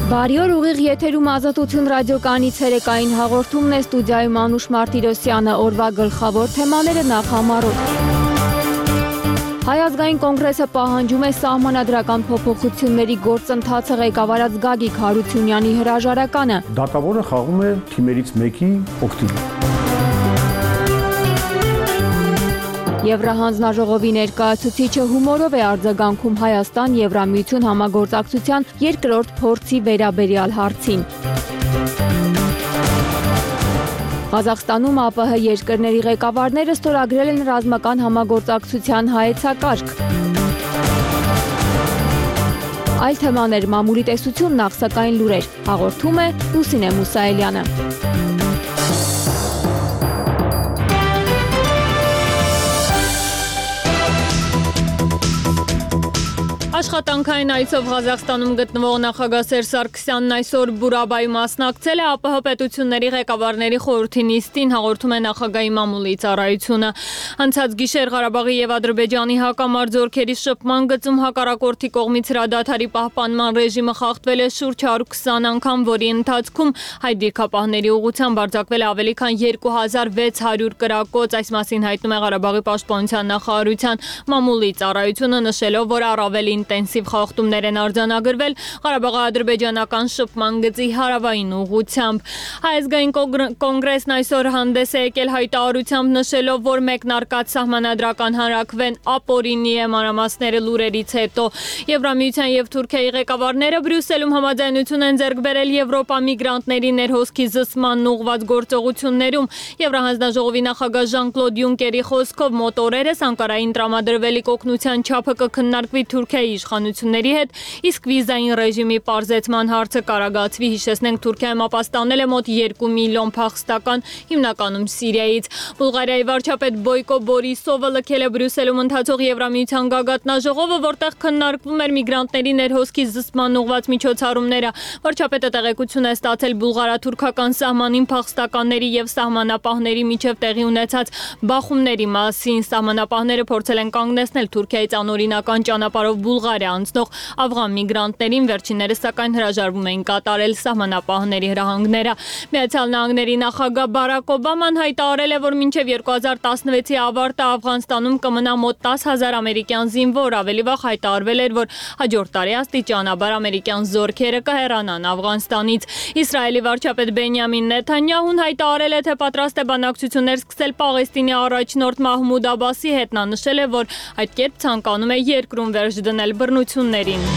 Բարի օր, ուղիղ եթերում Ազատություն ռադիոկայանի ցերեկային հաղորդումն է, ստուդիայում Անուշ Մարտիրոսյանը, օրվա գլխավոր թեմաները նախ համառոտ։ Հայ ազգային կոնգրեսը պահանջում է սահմանադրական փոփոխությունների գործընթացը ղեկավարած Գագիկ Հարությունյանի հրաժարականը։ Դատավորը խաղում է թիմերից մեկի օգտին։ Եվրահանձնաժողովի ներկայացուցիչը հումորով է արձագանքում Հայաստան-Եվրամիություն համագործակցության երկրորդ փորձի վերաբերյալ հարցին։ Ղազախստանում ԱՊՀ երկրների ղեկավարները ստորագրել են ռազմական համագործակցության հայեցակարգ։ Այլ թեմաներ, մամուլի տեսություն, նախ սակայն լուրեր, հաղորդում է Լուսինե Մուսայելյանը։ Աշխատանքային այցով Ղազախստանում գտնվող նախագահ Սերժ Սարգսյանն այսօր Բուրաբայում մասնակցել է ԱՊՀ պետությունների ղեկավարների խորհրդի նիստին, հաղորդում է նախագահի մամուլի ծառայությունը։ Անցած գիշեր Ղարաբաղի եւ Ադրբեջանի հակամարտ զորքերի շփման գծում հակառակորդի կողմից հրադադարի պահպանման ռեժիմը խախտվել է շուրջ 120 անգամ, որի ընթացքում հայ դիրքապահների ուղղությամբ արձակվել է ավելի քան 2600 կրակոց, այս մասին հայտնում է Ղարաբաղի պաշտպանության նախարարության մամուլի ծառայությունը, նշելով, որ առավել ինտենսիվ խախտումներ են արձանագրվել Ղարաբաղի-ադրբեջանական շփման գծի հարավային ուղղությամբ։ Հայ ազգային կոնգրեսն այսօր հանդես է եկել հայտարարությամբ, նշելով, որ մեկնարկած սահմանադրական հանրաքվեն ապօրինի է, մանրամասները լուրերից հետո։ Եվրամիության եւ Թուրքիայի ղեկավարները Բրյուսելում համաձայնություն են ձեռք բերել Եվրոպա միգրանտների ներհոսքի զսմանն ուղղված գործողություններում։ Եվրահանձնաժողովի նախագահ Ժան-Կլոդ Յունկերի խոսքով մոտ օրերս Անկարային տրամադրվելիք օգնության չափը կքննարկվի Թուրքիայի իշխանությունների հետ, իսկ վիզային ռեժիմի պարզեցման հարցը կարագացվի։ Հիշեցնենք, Թուրքիայում ապաստանել է մոտ 2 միլիոն փախստական, հիմնականում Սիրիայից։ Բուլղարիայի վարչապետ Բոյկո Բորիսովը լքել է Բրյուսելում ընթացող Եվրամիության գագաթնաժողովը, որտեղ քննարկվում էր միգրանտների ներհոսքի զսման ուղղված միջոցառումները։ Վարչապետը տեղեկություն է ստացել բուլղարա-թուրքական սահմանին փախստականների եւ սահմանապահների միջև տեղի ունեցած բախումների մասին։ Սահմանապահները փորձել են կանգնեցնել Թուրքիայից անօրինական ճանապարհով Բուլղարիա անցնող աֆղան միգրանտներին, վերջիններս սակայն հրաժարվում էին կատարել սահմանապահների հրահանգները։ Միացյալ Նահանգների նախագահ Բարակ Օբաման հայտարարել է, որ մինչև 2016-ի ավարտը Աֆղանստանում կմնա մոտ 10,000 ամերիկյան զինվոր, ավելի վաղ հայտարարվել էր, որ հաջորդ տարի աստիճանաբար ամերիկյան զորքերը կհեռանան Աֆղանստանից։ Իսրայելի վարչապետ Բենյամին Նեթանյահուն հայտարարել է, թե պատրաստ է բանակցություններ սկսել Պաղեստինի առաջնորդ Մահմուդ Աբասի հետ։ Նա նշել է, որ այդ կերպ ցանկանում է երկրում վերջ դնել բռնություններին։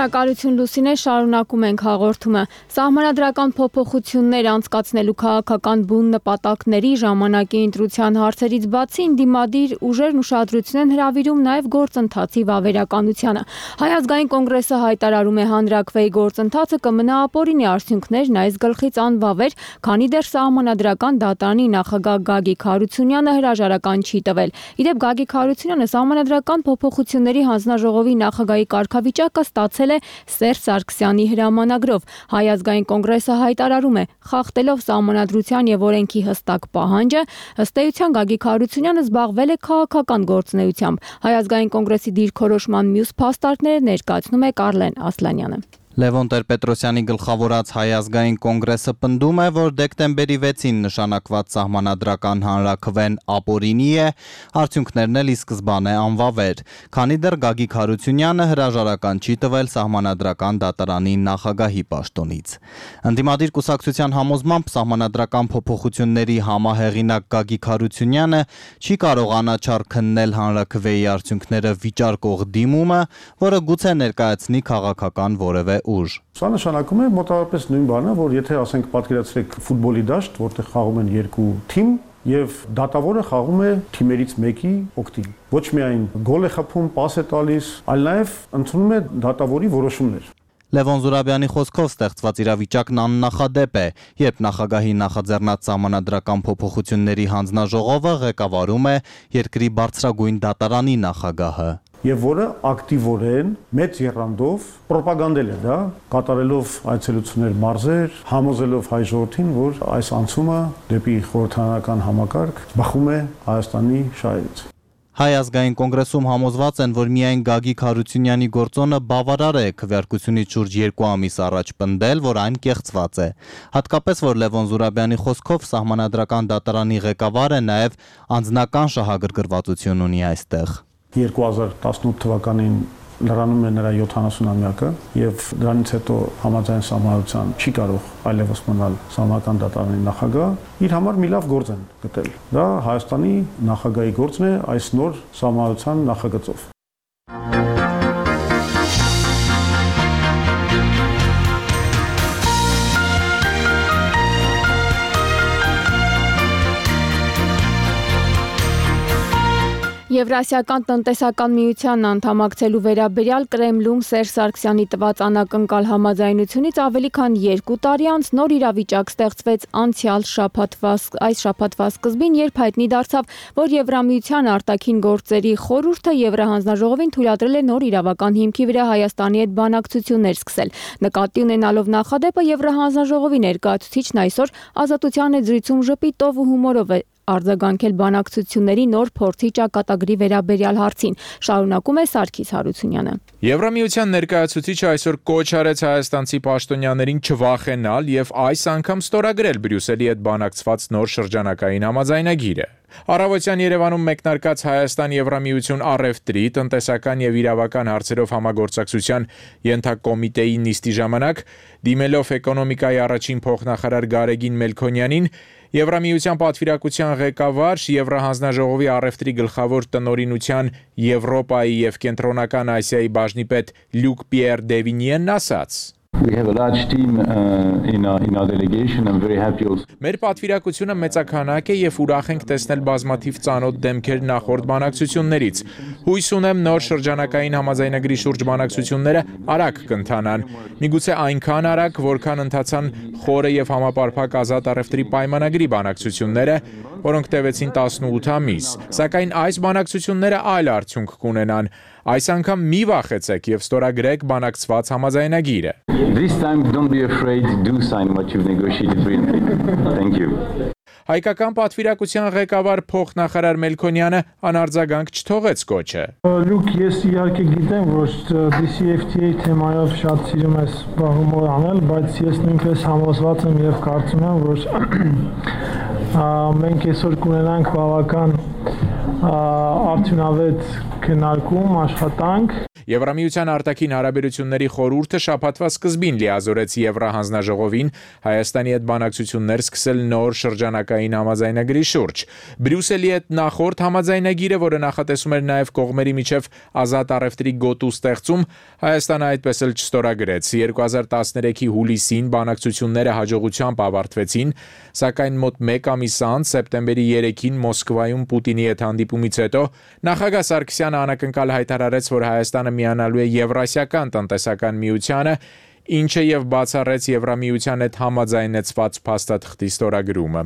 Շնորհակալություն Լուսինե, շարունակում ենք հաղորդումը։ Սահմանադրական փոփոխություններ անցկացնելու քաղաքական բուն նպատակների ժամանակի ընտրության հարցերից բացի ընդդիմադիր ուժերն ուշադրություն են հրավիրում նաև գործընթացի վավերականությանը։ Հայ ազգային կոնգրեսը հայտարարում է, հանրաքվեի գործընթացը կմնա ապօրինի, արդյունքներն այս գլխից անվավեր, քանի դեռ սահմանադրական դատարանի նախագահ Գագիկ Հարությունյանը հրաժարական չի տվել։ Իդեպ Գագիկ Հարությունյանը սահմանադրական փոփոխությունների հանձնաժողովի նախագահի կարգավիճակը ստացել է Սերժ Սարգսյանի հրամանագրով։ Հայ ազգային կոնգրեսը հայտարարում է, խախտելով սահմանադրության եւ օրենքի հստակ պահանջը, ըստ էության Գագիկ Հարությունյանը զբաղվել է քաղաքական գործունեությամբ։ Հայ ազգային կոնգրեսի դիրքորոշման մյուս փաստարկները ներկայացնում է Կարլեն Ասլանյանը։ Լևոն Տեր-Պետրոսյանի գլխավորած Հայ ազգային կոնգրեսը պնդում է, որ դեկտեմբերի 6-ին նշանակված սահմանադրական հանրաքվեն ապօրինի է, արդյունքներն էլ ի սկզբանե անվավեր, քանի դեռ Գագիկ Հարությունյանը հրաժարական չի տվել սահմանադրական դատարանի նախագահի պաշտոնից։ Ընդդիմադիր կուսակցության համոզմամբ սահմանադրական փոփոխությունների համահեղինակ Գագիկ Հարությունյանը չի կարող անաչառ քննել հանրաքվեի արդյունքները վիճարկող դիմումը, որը գուցե ներկայացնի քաղաքական որևէ ուժ։ Սա նշանակում է մոտավորապես նույն բանը, որ եթե ասենք պատկերացրեք ֆուտբոլի դաշտ, որտեղ խաղում են երկու թիմ եւ դատավորը խաղում է թիմերից մեկի օգտին։ Ոչ միայն գոլ է խփում, պաս է տալիս, այլ նաեւ ընդունում է դատավորի որոշումներ։ Լևոն Զուրաբյանի խոսքով ստեղծված իրավիճակն աննախադեպ է, երբ նախագահի նախաձեռնած սահմանադրական փոփոխությունների հանձնաժողովը ղեկավարում է երկրի բարձրագույն դատարանի նախագահը։ Եվ որը ակտիվորեն մեծ եռանդով պրոպագանդել է դա, կատարելով այցելություններ մարզեր, համոզելով հայ ժողովրդին, որ այս անցումը դեպի խորհրդարանական համակարգ բխում է Հայաստանի շահերից։ Հայ ազգային կոնգրեսում համոզված են, որ միայն Գագիկ Հարությունյանի գործոնը բավարար է քվեարկությունից շուրջ 2 ամիս առաջ պնդել, որ այն կեղծված է։ Հատկապես, որ Լևոն Զուրաբյանի խոսքով սահմանադրական դատարանի ղեկավարը նաև անձնական շահագրգռվածություն ունի այստեղ։ 2018 թվականին լրանում է նրա 70-ամյակը եւ դրանից հետո համաձայն սահմանադրության չի կարող այլևս մնալ սահմանադրական դատարանի նախագահ, իր համար մի լավ գործ են գտել։ Դա Հայաստանի նախագահի գործն է այս նոր սահմանադրության նախագծով։ Եվրասիական տնտեսական միության անդամակցելու վերաբերյալ Կրեմլում Սերժ Սարգսյանի տված անակնկալ համաձայնությունից ավելի քան 2 տարի անց նոր իրավիճակ ստեղծվեց անցյալ շաբաթվա սկզբին, երբ հայտնի դարձավ, որ Եվրամիության արտաքին գործերի խորհուրդը Եվրահանձնաժողովին թույլատրել է նոր իրավական հիմքի վրա Հայաստանի հետ բանակցություններ սկսել։ Նկատի ունենալով նախադեպը Եվրահանձնաժողովի ներկայացուցիչն այսօր Ազատության հետ զրույցում ժպիտով ու հումորով է արձագանքել բանակցությունների նոր փորձի ճակատագրի վերաբերյալ հարցին, շարունակում է Սարգիս Հարությունյանը։ Եվրամիության ներկայացուցիչը այսօր կոչ արեց հայաստանցի պաշտոնյաներին չվախենալ եւ այս անգամ ստորագրել Բրյուսելի հետ բանակցված նոր շրջանակային համաձայնագիրը։ Առավոտյան Երևանում մեկնարկած Հայաստան-Եվրամիություն առևտրի, տնտեսական եւ իրավական հարցերով համագործակցության ենթակոմիտեի նիստի ժամանակ, դիմելով էկոնոմիկայի առաջին փոխնախարար Գարեգին Մելքոնյանին, Եվրամիության պատվիրակության ղեկավար, Եվրահանձնաժողովի առևտրի գլխավոր տնօրինության Եվրոպայի եւ Կենտրոնական Ասիայի բաժնի պետ Լյուկ Պիեր Դևինիենն ասաց. We have a large team in our delegation. I'm very happy also. Մեր պատվիրակությունը մեծաքանակ է եւ ուրախ ենք տեսնել բազմաթիվ ծանոթ դեմքեր նախորդ բանակցություններից։ Հույս ունեմ նոր շրջանակային համաձայնագրի շուրջ բանակցությունները արագ կընթանան։ Միգուցե այնքան արագ, որքան ընթացան խորը եւ համապարփակ ազատ առևտրի պայմանագրի բանակցությունները, որոնք տևեցին 18 ամիս։ Սակայն այս բանակցությունները այլ արդյունք կունենան։ Այս անգամ մի վախեցեք եւ ստորագրեք բանակցված համաձայնագիրը։ This time don't be afraid, do sign what you've negotiated brilliantly. Thank you. Հայկական պատվիրակության ղեկավար փոխնախարար Մելքոնյանը անարձագանք չթողեց կոչը։ Լուկ, ես իհարկե գիտեմ, որ DCFTA թեմայով շատ սիրում ես զբաղումով անել, բայց ես նույնպես համոզված եմ եւ կարծում եմ, որ մենք այսօր կունենանք բավական արդյունավետ քննարկում, աշխատանք։ Եվրամիության արտաքին հարաբերությունների խորհուրդը շաբաթվա սկզբին լիազորեց Եվրահանձնաժողովին Հայաստանի հետ բանակցություններ սկսել նոր շրջանակային համաձայնագրի շուրջ։ Բրյուսելի հետ նախորդ համաձայնագիրը, որը նախատեսում էր նաև կողմերի միջև ազատ առևտրի գոտու ստեղծում, Հայաստանը այդպես էլ չստորագրեց։ 2013-ի հուլիսին բանակցությունները հաջողությամբ ավարտվեցին, սակայն մոտ 1 ամիս անց սեպտեմբերի 3-ին Մոսկվայում Պուտինի հետ հանդիպումից հետո նախագահ Սարգսյանը անակնկալ հայտարարեց, որ Հայաստանը միանալու է Եվրասիական տնտեսական միությանը, ինչը եւ բացառեց Եվրամիության հետ համաձայնեցված փաստաթղթի ստորագրումը։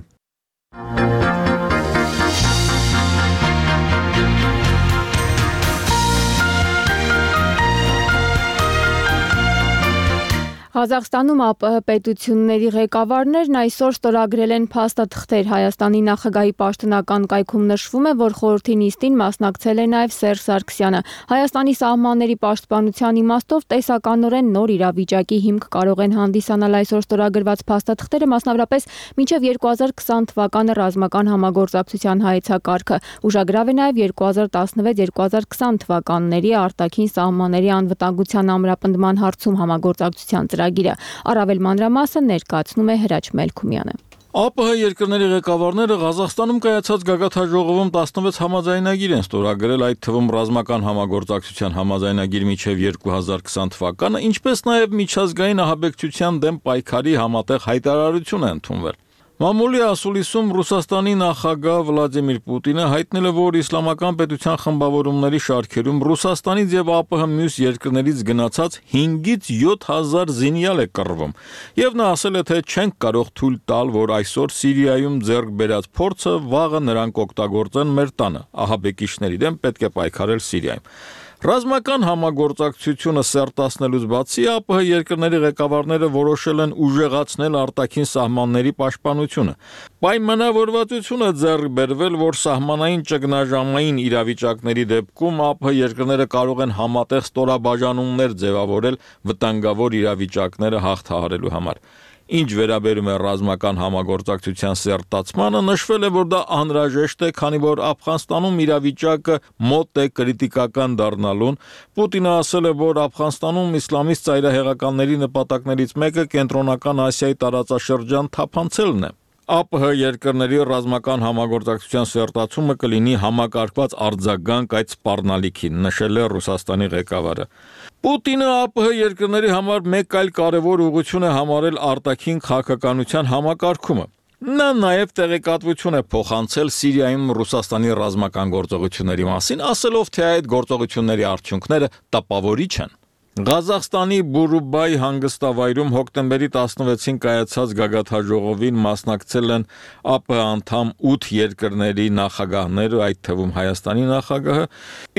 Ղազախստանում ԱՊՀ պետությունների ղեկավարներն այսօր ստորագրել են փաստաթղթեր։ Հայաստանի նախագահի պաշտոնական կայքում նշվում է, որ խորհրդի նիստին մասնակցել է նաև Սերժ Սարգսյանը։ Հայաստանի սահմանների պաշտպանության իմաստով տեսականորեն նոր իրավիճակի հիմք կարող են հանդիսանալ այսօր ստորագրված փաստաթղթերը, մասնավորապես մինչև 2020 թվականը ռազմական համագործակցության հայեցակարգը։ Ուշագրավ է նաև 2016-2020 թվականների արտաքին սահմանների անվտանգության ամրապնդման հարցում համագործակցության ծրագիրը։ Առավել մանրամասը ներկայացնում է Հրաչ Մելքումյանը։ ԱՊՀ երկրների ղեկավարները Ղազախստանում կայացած գագաթնաժողովում 16 համաձայնագիր են ստորագրել, այդ թվում ռազմական համագործակցության համաձայնագիր մինչև 2020 թվականը, ինչպես նաև միջազգային ահաբեկչության դեմ պայքարի համատեղ հայտարարություն է ընդունվել։ Մամուլի ասուլիսում Ռուսաստանի նախագահ Վլադիմիր Պուտինը հայտնել է, որ իսլամական պետության խմբավորումների շարքերում Ռուսաստանից եւ ԱՊՀ մյուս երկրներից գնացած 5-ից 7000 զինյալ է կռվում եւ նա ասել է, թե չենք կարող թույլ տալ, որ այսօր Սիրիայում ձեռք բերած փորձը վաղը նրանք օգտագործեն մեր տանը, ահաբեկիչների դեմ պետք է պայքարել Սիրիայում։ Ռազմական համագործակցությունը սերտացնելուց բացի ԱՊՀ երկրների ղեկավարները որոշել են ուժեղացնել արտաքին սահմանների պաշտպանությունը։ Պայմանավորվածությունը ձեռք բերվել, որ սահմանային ճգնաժամային իրավիճակների դեպքում ԱՊՀ երկրները կարող են համատեղ ստորաբաժանումներ ձևավորել վտանգավոր իրավիճակները հաղթահարելու համար։ Ինչ վերաբերում է ռազմական համագործակցության սերտացմանը, նշվել է, որ դա անհրաժեշտ է, քանի որ Աֆղանստանում իրավիճակը մոտ է կրիտիկական դառնալուն։ Պուտինը ասել է, որ Աֆղանստանում իսլամիստ ծայրահեղականների նպատակներից մեկը Կենտրոնական Ասիայի տարածաշրջան թափանցելն է։ ԱՊՀ երկրների ռազմական համագործակցության սերտացումը կլինի համակարգված արձագանք այդ սպառնալիքին, նշել է Ռուսաստանի ղեկավարը։ Պուտինը ԱՊՀ երկրների համար մեկ այլ կարևոր ուղղություն է համարել արտաքին քաղաքականության համակարգումը։ Նա նաև տեղեկատվություն է փոխանցել Սիրիայում Ռուսաստանի ռազմական գործողությունների մասին, ասելով, թե այդ գործողությունների արդյունքները տպավորիչ են։ Ղազախստանի Բուրուբայ հանգստավայրում հոկտեմբերի 16-ին կայացած գագաթնաժողովին մասնակցել են ԱՊՀ անդամ 8 երկրների նախագահները, այդ թվում Հայաստանի նախագահը,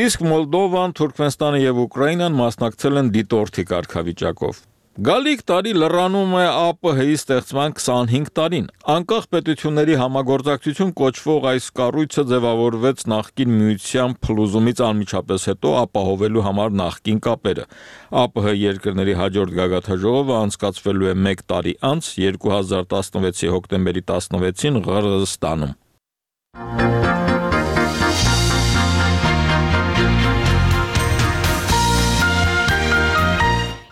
իսկ Մոլդովան, Թուրքմենստանը եւ Ուկրաինան մասնակցել են դիտորդի կարգավիճակով։ Գալիք տարի լրանում է ԱՊՀ-ի ստեղծման 25 տարին։ Անկախ պետությունների համագործակցություն կոչվող այս կառույցը ձևավորվեց նախկին միության փլուզումից անմիջապես հետո ապահովելու համար նախկին կապերը։ ԱՊՀ երկրների հաջորդ գագաթնաժողովը անցկացվելու է 1 տարի անց 2016-ի հոկտեմբերի 16-ին Ղրղըզստանում։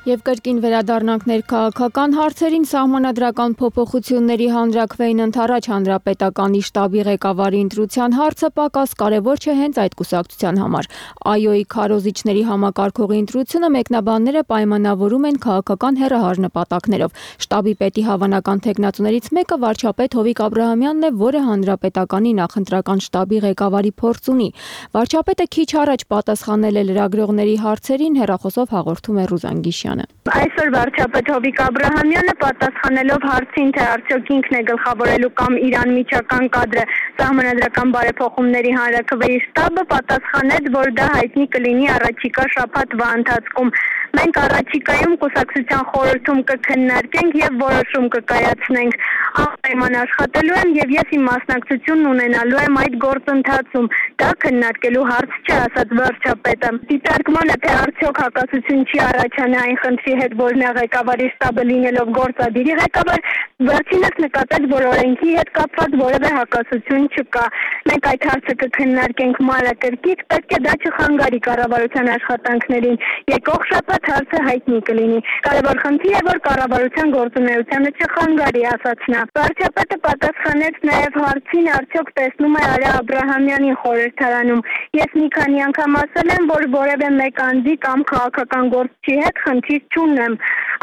Եվ կրկին վերադառնանք ներքաղաքական հարցերին, սահմանադրական փոփոխությունների հանրաքվեին ընդառաջ հանրապետականի շտաբի ղեկավարի ընտրության հարցը պակաս կարևոր չէ հենց այդ կուսակցության համար։ ԱՅՈ-ի քարոզիչների համակարգողի ընտրությունը մեկնաբանները պայմանավորում են քաղաքական հեռահար նպատակներով։ Շտաբի պետի հավանական թեկնածուներից մեկը վարչապետ Հովիկ Աբրահամյանն է, որը հանրապետականի նախընտրական շտաբի ղեկավարի փորձ ունի։ Վարչապետը քիչ առաջ պատասխանել է լրագրողների հարցերին, հեռախոսով հաղորդում է Ռուզան Գիշյան։ Այսօր վարչապետ Հովիկ Աբրահամյանը պատասխանելով հարցին, թե արդյոք ինքն է գլխավորելու կամ իր անմիջական կադրը սահմանադրական բարեփոխումների հանրաքվեի շտաբը, պատասխանեց, որ դա հայտնի կլինի առաջիկա շաբաթվա ընթացքում։ Մենք առաջիկայում կուսակցության խորհրդում կքննարկենք եւ որոշում կկայացնենք։ Անպայման աշխատելու եմ եւ ես իմ մասնակցությունն ունենալու եմ այդ գործընթացում։ Դա քննարկելու հարց չէ, ասաց վարչապետը։ Դիտարկմանը, թե արդյոք հակասություն չի առաջանա այն խնդրի հետ, որ նա ղեկավարի շտաբը լինելով գործադիրի ղեկավար, վերջինս նկատեց, որ օրենքի հետ կապված որևէ հակասություն չկա։ Մենք այդ հարցը կքննարկենք մանրակրկիտ, պետք է դա չխանգարի կառավարության աշխատանքներին։ Եկող շաբաթ հարցը հայտնի կլինի։ Կարևոր խնդիր է, որ կառավարության գործունեությանը չխանգարի, ասաց նա։ Վարչապետը պատասխանեց նաև հարցին, արդյոք տեսնում է Արա Աբրահամյանին խորհրդարանում։ Ես մի քանի անգամ ասել եմ, որ որևէ մեկ անձի կամ քաղաքական գործչի հետ խնդիր չունեմ,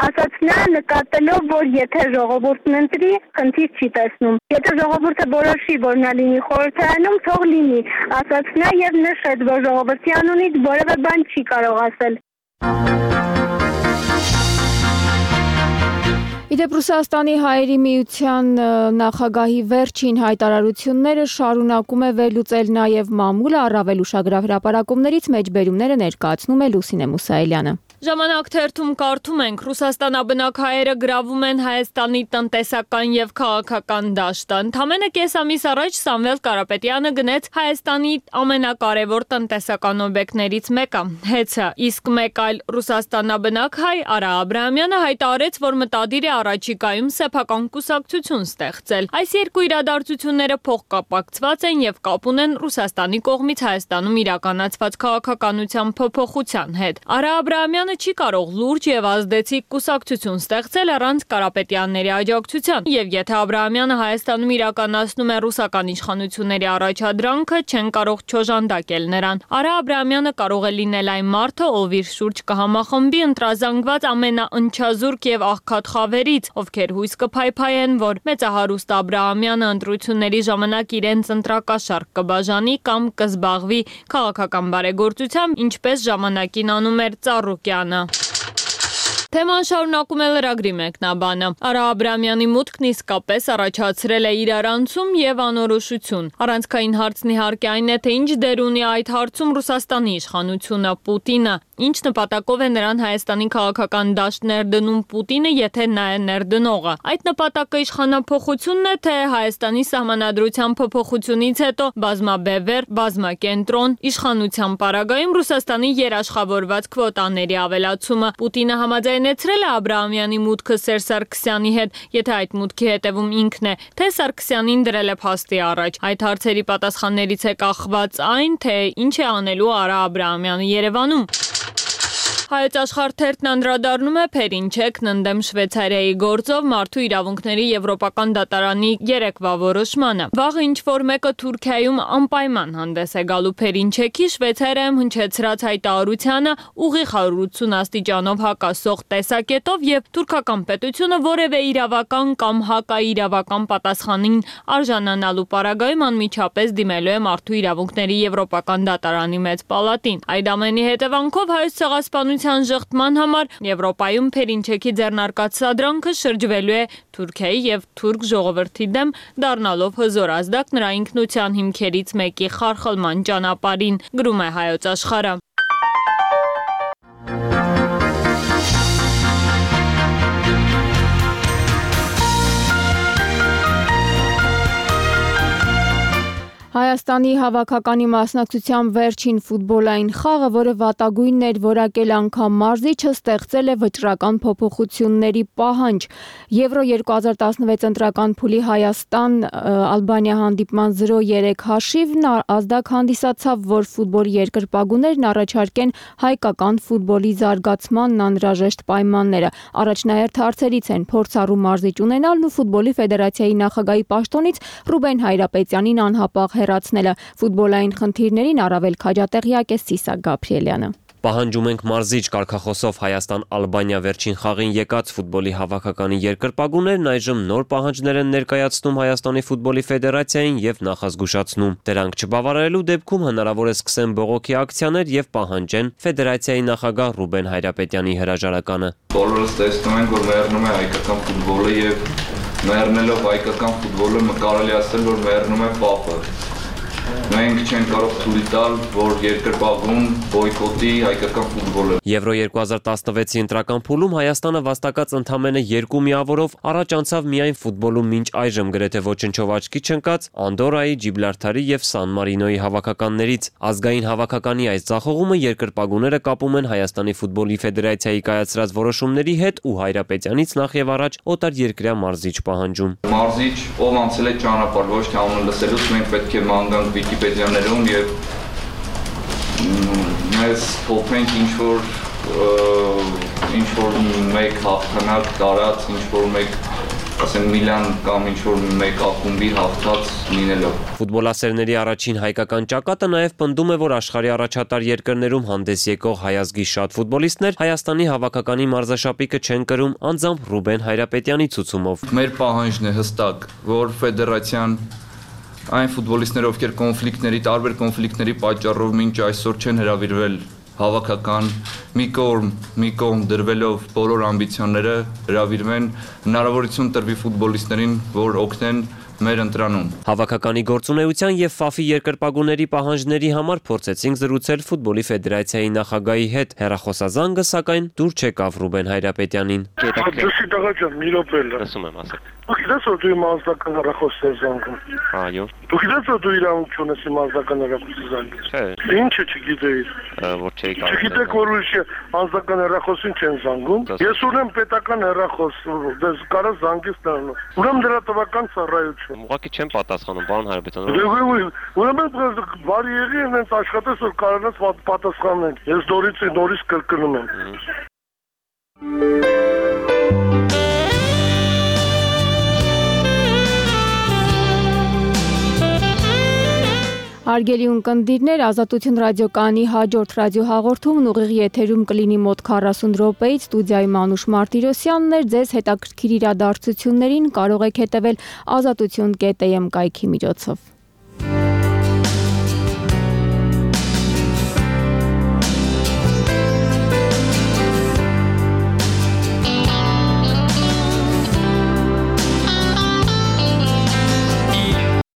ասաց նա, նկատելով, որ եթե ժողովուրդն ընտրի, խնդիր չի տեսնում։ Եթե ժողովուրդը որոշի, որ նա լինի խորհրդարանում, թող լինի, ասաց նա եւ նշեց, որ ժողովրդի անունից որևէ բան չի կարող ասել։ Իդեպ Ռուսաստանի հայերի միության նախագահի վերջին հայտարարությունները շարունակում է վերլուծել նաև մամուլը, առավել ուշագրավ հրապարակումներից մեջբերումները ներկայացնում է Լուսինե Մուսայելյանը։ Ժամանակ թերթում կարդում ենք, Ռուսաստանաբնակ հայերը գրավում են Հայաստանի տնտեսական եւ քաղաքական դաշտը։ Ընդամենը կես ամիս առաջ Սամվել Կարապետյանը գնեց Հայաստանի ամենակարևոր տնտեսական օբյեկտներից մեկը՝ ՀԵՑ-ը, իսկ մեկ այլ Ռուսաստանաբնակ հայ Արա Աբրահամյանը հայտարարեց, որ մտադիր է առաջիկայում սեփական կուսակցություն ստեղծել։ Այս երկու իրադարձությունները փոխկապակցված են եւ կապ ունեն Ռուսաստանի կողմից Հայաստանում իրականացված քաղաքականության փոփոխության հետ։ Արա Աբրահամյանը չի կարող լուրջ եւ ազդեցիկ կուսակցություն ստեղծել առանց Կարապետյանների աջակցության։ Եվ եթե Աբ รา համյանը Հայաստանում իրականացնում է ռուսական իշխանությունների առաջադրանքը, չեն կարող չոժանդակել նրան։ Արա Աբ รา համյանը կարող է լինել այն մարդը, ով իր շուրջ կհամախմբի ընտրազանգված ամենաընչազուրկ եւ աղքատ խավերից, ովքեր հույս կփայփայեն, որ մեծահարուստ Աբ รา համյանը ընտրությունների ժամանակ իրենց ընտրակաշառք կբաժանի կամ կզբաղվի քաղաքական բարեգործությամբ, ինչպես ժամանակին անում էր Ծառուկյանը։ Թեման շարունակում է լրագրի մեկնաբանը։ Արա Աբ รา համյանի մուտքն իսկապես առաջացրել է իրարանցում եւ անորոշություն։ Առանցքային հարցն իհարկե այն է, թե ինչ դեր ունի այդ հարցում Ռուսաստանի իշխանությունը, Պուտինը, ինչ նպատակով է նրան Հայաստանի քաղաքական դաշտ ներդնում Պուտինը, եթե նա է ներդնողը։ Այդ նպատակը իշխանափոխությունն է, թե Հայաստանի սահմանադրության փոփոխությունից հետո բազմաբևեռ, բազմակենտրոն իշխանության պարագայում Ռուսաստանի երաշխավորված քվոտաների ավելացումը։ Պուտինը համաձայնեցրել է Աբ รา համյանի մուտքը Սերժ Սարգսյանի հետ, եթե այդ մուտքի հետևում ինքն է, թե Սարգսյանին դրել է փաստի առաջ։ Այդ հարցերի պատասխաններից է կախված այն, թե ինչ է անելու Արա Աբ รา համյանը Երևանում։ Հայոց աշխարհ թերթն անդրադառնում է Փերինչեկն ընդդեմ Շվեյցարիայի գործով մարդու իրավունքների եվրոպական դատարանի երեկվա որոշմանը։ Վաղը ինչ-որ մեկը Թուրքիայում անպայման հանդես է գալու Փերինչեկի Շվեյցարիայում հնչեցրած հայտարարությանը ուղիղ 180 աստիճանով հակասող տեսակետով եւ թուրքական պետությունը որևէ իրավական կամ հակաիրավական պատասխանին արժանանալու պարագայում անմիջապես դիմելու է մարդու իրավունքների եվրոպական դատարանի մեծ պալատին։ Այդ ամենի հետևանքով հայոց ցեղասպանության ժխտման համար Եվրոպայում Փերինչեկի ձեռնարկած սադրանքը շրջվելու է Թուրքիայի եւ թուրք ժողովրդի դեմ, դառնալով հզոր ազդակ նրա ինքնության հիմքերից մեկի խարխլման ճանապարհին, գրում է Հայոց աշխարհը։ Հայաստանի հավաքականի մասնակցության վերջին ֆուտբոլային խաղը, որը վատագույնն էր որակել անգամ մարզիչը, ստեղծել է վճռական փոփոխությունների պահանջ։ Եվրո 2016 ընտրական փուլի Հայաստան-Ալբանիա հանդիպման 0-3 հաշիվն ազդակ հանդիսացավ, որ ֆուտբոլի երկրպագուներն առաջարկեն հայկական ֆուտբոլի զարգացմանն անհրաժեշտ պայմանները։ Առաջնահերթ հարցերից են փորձառու մարզիչ ունենալն ու ֆուտբոլի ֆեդերացիայի նախագահի պաշտոնից Ռուբեն Հայրապետյանին անհապաղ հեռացնելը։ Ֆուտբոլային խնդիրներին առավել քաջատեղյակ է Սիսակ Գաբրիելյանը։ Պահանջում ենք մարզիչ կարգախոսով Հայաստան-Ալբանիա վերջին խաղին եկած ֆուտբոլի հավաքականի երկրպագուներն այժմ նոր պահանջներ են ներկայացնում Հայաստանի ֆուտբոլի ֆեդերացիային եւ նախազգուշացնում։ Դրանք չբավարարելու դեպքում հնարավոր է սկսեն բողոքի ակցիաներ եւ պահանջեն ֆեդերացիայի նախագահ Ռուբեն Հայրապետյանի հրաժարականը։ Բոլորս տեսնում ենք, որ մեռնում է հայկական ֆուտբոլը եւ մեռնելով հայկական ֆուտբոլը կարելի ասել, որ մեռնում է ՊԱՊ-ը։ Մենք չենք կարող թույլ տալ, որ երկրպագուն բոյկոտի հայկական ֆուտբոլը։ Եվրո 2016-ի ընտրական փուլում Հայաստանը վաստակած ընդամենը 2 միավորով առաջ անցավ միայն ֆուտբոլում մինչ այժմ գրեթե ոչնչով աչքի չընկած Անդորայի, Ջիբլարթարի եւ Սան Մարինոյի հավաքականներից։ Ազգային հավաքականի այս ձախողումը երկրպագուները կապում են Հայաստանի ֆուտբոլի ֆեդերացիայի կայացրած որոշումների հետ ու Հայրապետյանից նախ եւ առաջ օտարերկրյա մարզիչ պահանջում։ Մարզիչ, ով անցել է ճանապարհ, ոչ թե անունը լսելուց մենք պետք է մանկանք Վիկիպեդիաներում եւ մեզ փոխենք ինչ որ մեկ հաղթանակ տարած, ինչ որ մեկ ասեմ Միլան կամ ինչ որ մեկ ակումբի հաղթած լինելով։ Ֆուտբոլասերների առաջին հայկական ճակատը նաև պնդում է, որ աշխարհի առաջատար երկրներում հանդես եկող հայազգի շատ ֆուտբոլիստներ Հայաստանի հավաքականի մարզաշապիկը չեն կրում անձամբ Ռուբեն Հայրապետյանի ցուցումով։ Մեր պահանջն է հստակ, որ ֆեդերացիան այն ֆուտբոլիստները, ովքեր տարբեր կոնֆլիկտների պատճառով մինչ այսօր չեն հրավիրվել հավաքական, մի կողմ դրվելով բոլոր ամբիցիաները հրավիրվեն, հնարավորություն տրվի ֆուտբոլիստներին, որ օգնեն մեր ընտրանում։ Հավաքականի գործունեության եւ ՖԱՖ-ի երկրպագուների պահանջների համար փորձեցինք զրուցել ֆուտբոլի ֆեդերացիայի նախագահի հետ։ Հեռախոսազանգը սակայն դուր չեկավ Ռուբեն Հայրապետյանին։ Դուսի տղա ջան, մի րոպե լա։ Լսում եմ, ասեք։ Դու գիտես որ դու իմ անձնական հեռախոսն ես զանգում։ Այո։ Դու գիտես որ դու իրավունք ունես իմ անձնական հեռախոսը զանգել։ Չէ։ Ինչը չգիտեիր։ Որ չէի կարող։ Չգիտեք որ ուրիշ անձնական հեռախոսին չեն զանգում։ Ես ունեմ պետական հեռախոս, դες կարա զանգես նրան։ Ուրեմն դրա տվական ծառայություն չէ։ Ուղղակի չեմ պատասխանում, պարոն Հայրապետյան։ Ուրեմն բարի եղի հենց աշխատես որ կարողանաս պատասխանել։ Ես նորից կրկնում եմ։ Հարգելի ունկնդիրներ, Ազատություն ռադիոկայանի հաջորդ ռադիոհաղորդումն ուղիղ եթերում կլինի մոտ 40 րոպեից, ստուդիայում Անուշ Մարտիրոսյանն էր, ձեզ հետաքրքիր իրադարձություններին կարող եք հետևել azatutyon.am կայքի միջոցով։